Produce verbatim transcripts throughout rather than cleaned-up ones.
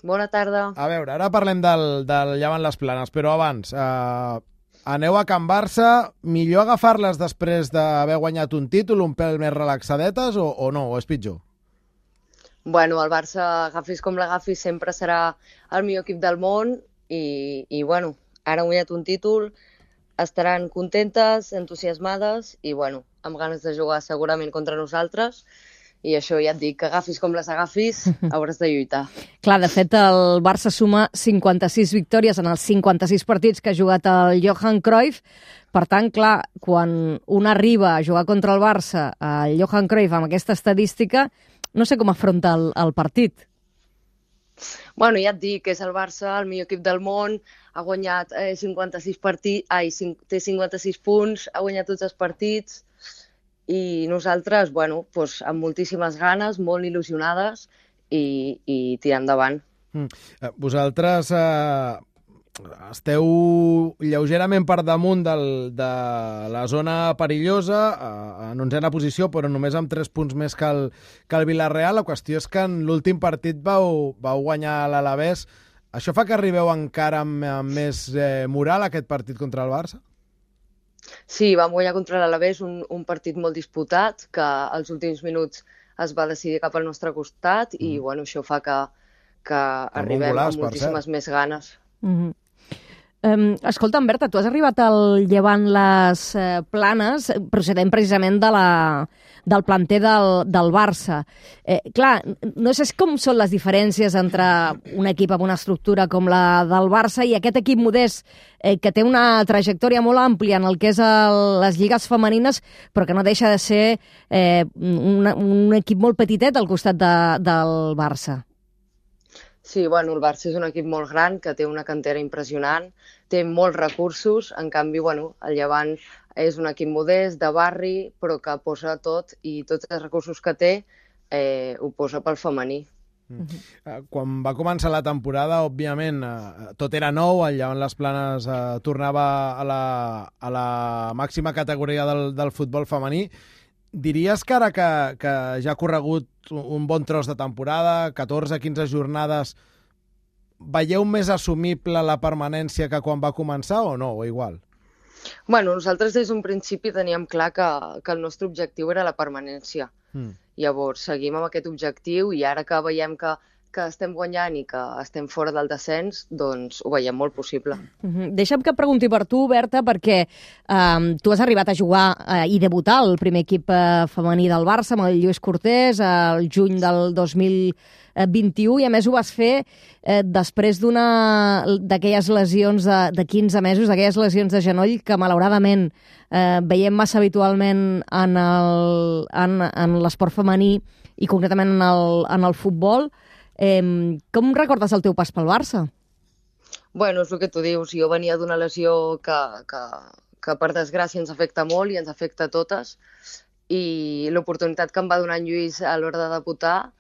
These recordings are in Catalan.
Bona tarda. A veure, ara parlem del, del Llevant les Planes, però abans, eh, aneu a Can Barça, millor agafar-les després d'haver guanyat un títol, un pèl més relaxadetes, o, o no, o és pitjor? Bueno, el Barça, agafis com l'agafis, sempre serà el millor equip del món i, i bueno, ara han guanyat un títol, estaran contentes, entusiasmades i, bueno, amb ganes de jugar segurament contra nosaltres. I això ja et dic, que agafis com les agafis, hauràs de lluitar. Clar, de fet, el Barça suma cinquanta-sis victòries en els cinquanta-sis partits que ha jugat el Johan Cruyff. Per tant, clar, quan un arriba a jugar contra el Barça, el Johan Cruyff, amb aquesta estadística, no sé com afronta el, el partit. Bueno, ja et dic, és el Barça, el millor equip del món, ha guanyat eh, cinquanta-sis partits, ai, té cinquanta-sis punts, ha guanyat tots els partits, i nosaltres, bueno, doncs, amb moltíssimes ganes, molt il·lusionades i, i tirar endavant. Mm. Vosaltres eh, esteu lleugerament per damunt del, de la zona perillosa, eh, en onzena posició, però només amb tres punts més que el, que el Villarreal. La qüestió és que en l'últim partit vau, vau guanyar l'Alavés. Això fa que arribeu encara amb, amb més eh, moral aquest partit contra el Barça? Sí, vam guanyar contra l'Alavés un, un partit molt disputat, que als últims minuts es va decidir cap al nostre costat i, mm. bueno, això fa que, que arribem golaç, amb moltíssimes més ganes. Mm-hmm. Um, escolta, Berta, tu has arribat al Llevant les eh, Planes procedent precisament de la, del planter del, del Barça. Eh, clar, no sé com són les diferències entre un equip amb una estructura com la del Barça i aquest equip modest eh, que té una trajectòria molt àmplia en el que és el, les lligues femenines, però que no deixa de ser eh, un, un equip molt petitet al costat de, del Barça. Sí, bueno, el Barça és un equip molt gran, que té una cantera impressionant, té molts recursos, en canvi, bueno, el Llevant és un equip modest, de barri, però que posa tot, i tots els recursos que té eh, ho posa pel femení. Mm. Quan va començar la temporada, òbviament, eh, tot era nou, el Llevant les Planes eh, tornava a la, a la màxima categoria del, del futbol femení. Diries que ara que, que ja ha corregut un bon tros de temporada, catorze quinze jornades, veieu més assumible la permanència que quan va començar o no, o igual? Bueno, nosaltres des d'un principi teníem clar que, que el nostre objectiu era la permanència. Mm. Llavors, seguim amb aquest objectiu i ara que veiem que que estem guanyant i que estem fora del descens, doncs ho veiem molt possible. Mm-hmm. Deixa'm que et pregunti per tu, Berta, perquè eh, tu has arribat a jugar eh, i debutar al primer equip eh, femení del Barça amb el Lluís Cortés al juny del dos mil vint-i-u i a més ho vas fer eh, després d'una d'aquelles lesions de, de quinze mesos, d'aquelles lesions de genoll que malauradament eh, veiem massa habitualment en el, en, en l'esport femení i concretament en el, en el futbol. Eh, com recordes el teu pas pel Barça? Bueno, és el que tu dius. Jo venia d'una lesió que, que, que per desgràcia ens afecta molt i ens afecta a totes i l'oportunitat que em va donar en Lluís a l'hora de debutar,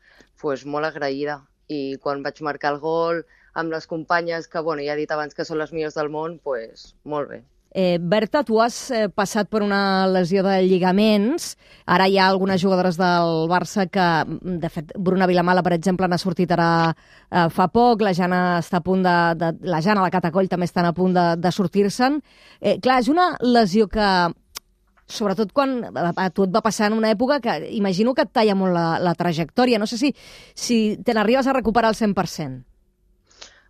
pues, molt agraïda. I quan vaig marcar el gol amb les companyes, que bueno, ja he dit abans que són les millors del món, pues, molt bé. Eh, Berta, tu has eh, passat per una lesió de lligaments. Ara hi ha algunes jugadores del Barça que, de fet, Bruna Vilamala, per exemple, n'ha sortit ara eh, fa poc. La Jana està a punt de, de... La Jana, la Catacoll, també estan a punt de, de sortir-se'n. Eh, clar, és una lesió que, sobretot quan a tu et va passar en una època que imagino que et talla molt la, la trajectòria. No sé si, si te n'arribes a recuperar al cent per cent.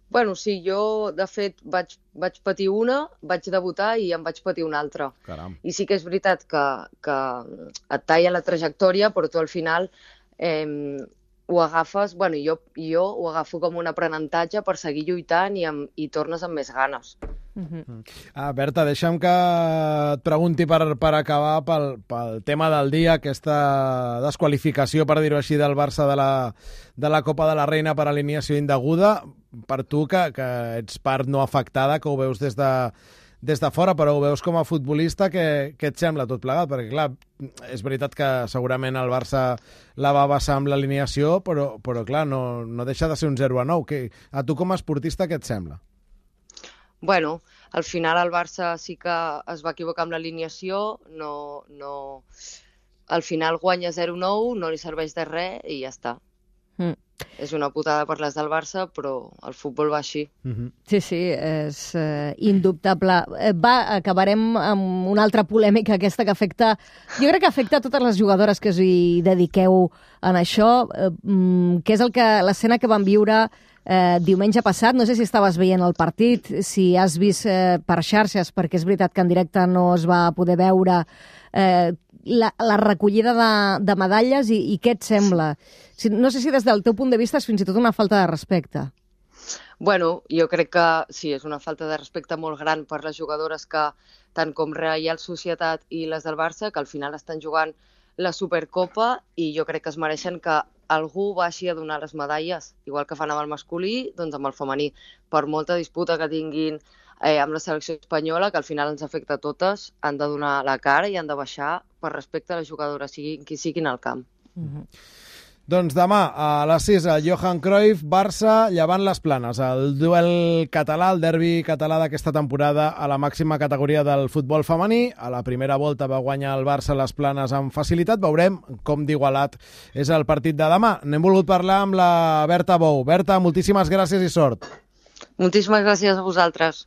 Bueno, sí, jo, de fet, vaig, vaig patir una, vaig debutar i em vaig patir una altra. Caram. I sí que és veritat que, que et talla la trajectòria, però tu al final eh, ho agafes, bueno, jo, jo ho agafo com un aprenentatge per seguir lluitant i, amb, i tornes amb més ganes. Uh-huh. Ah, Berta, deixa'm que et pregunti per, per acabar pel, pel tema del dia, aquesta desqualificació, per dir-ho així, del Barça de la, de la Copa de la Reina per alineació indeguda. Per tu, que, que ets part no afectada, que ho veus des de, des de fora, però ho veus com a futbolista, què, què et sembla tot plegat? Perquè, clar, és veritat que segurament el Barça la va basar amb l'alineació, però, però clar, no, no deixa de ser un zero a nou. Que, a tu com a esportista, què et sembla? Bueno, al final el Barça sí que es va equivocar amb l'alineació, no, no... al final guanya zero nou, no li serveix de res i ja està. Mm. És una putada per les del Barça, però el futbol va així. Mm-hmm. Sí, sí, és eh, indubtable. Va, acabarem amb una altra polèmica, aquesta que afecta... Jo crec que afecta a totes les jugadores que us hi dediqueu en això, eh, que és el que l'escena que vam viure eh, diumenge passat. No sé si estaves veient el partit, si has vist eh, per xarxes, perquè és veritat que en directe no es va poder veure eh, la, la recollida de, de medalles i, i què et sembla? Si, no sé si des del teu punt de vista és fins i tot una falta de respecte. Bueno, jo crec que sí, és una falta de respecte molt gran per les jugadores que, tant com Reial Societat i les del Barça, que al final estan jugant la Supercopa i jo crec que es mereixen que algú baixi a donar les medalles, igual que fan amb el masculí, doncs amb el femení. Per molta disputa que tinguin eh, amb la selecció espanyola, que al final ens afecta a totes, han de donar la cara i han de baixar per respecte a les jugadores, siguin qui siguin al camp. Mm-hmm. Doncs demà a les sis, el Johan Cruyff, Barça, Llevant les Planes, el duel català, el derbi català d'aquesta temporada a la màxima categoria del futbol femení. A la primera volta va guanyar el Barça les Planes amb facilitat. Veurem com d'igualat és el partit de demà. N'hem volgut parlar amb la Berta Bou. Berta, moltíssimes gràcies i sort. Moltíssimes gràcies a vosaltres.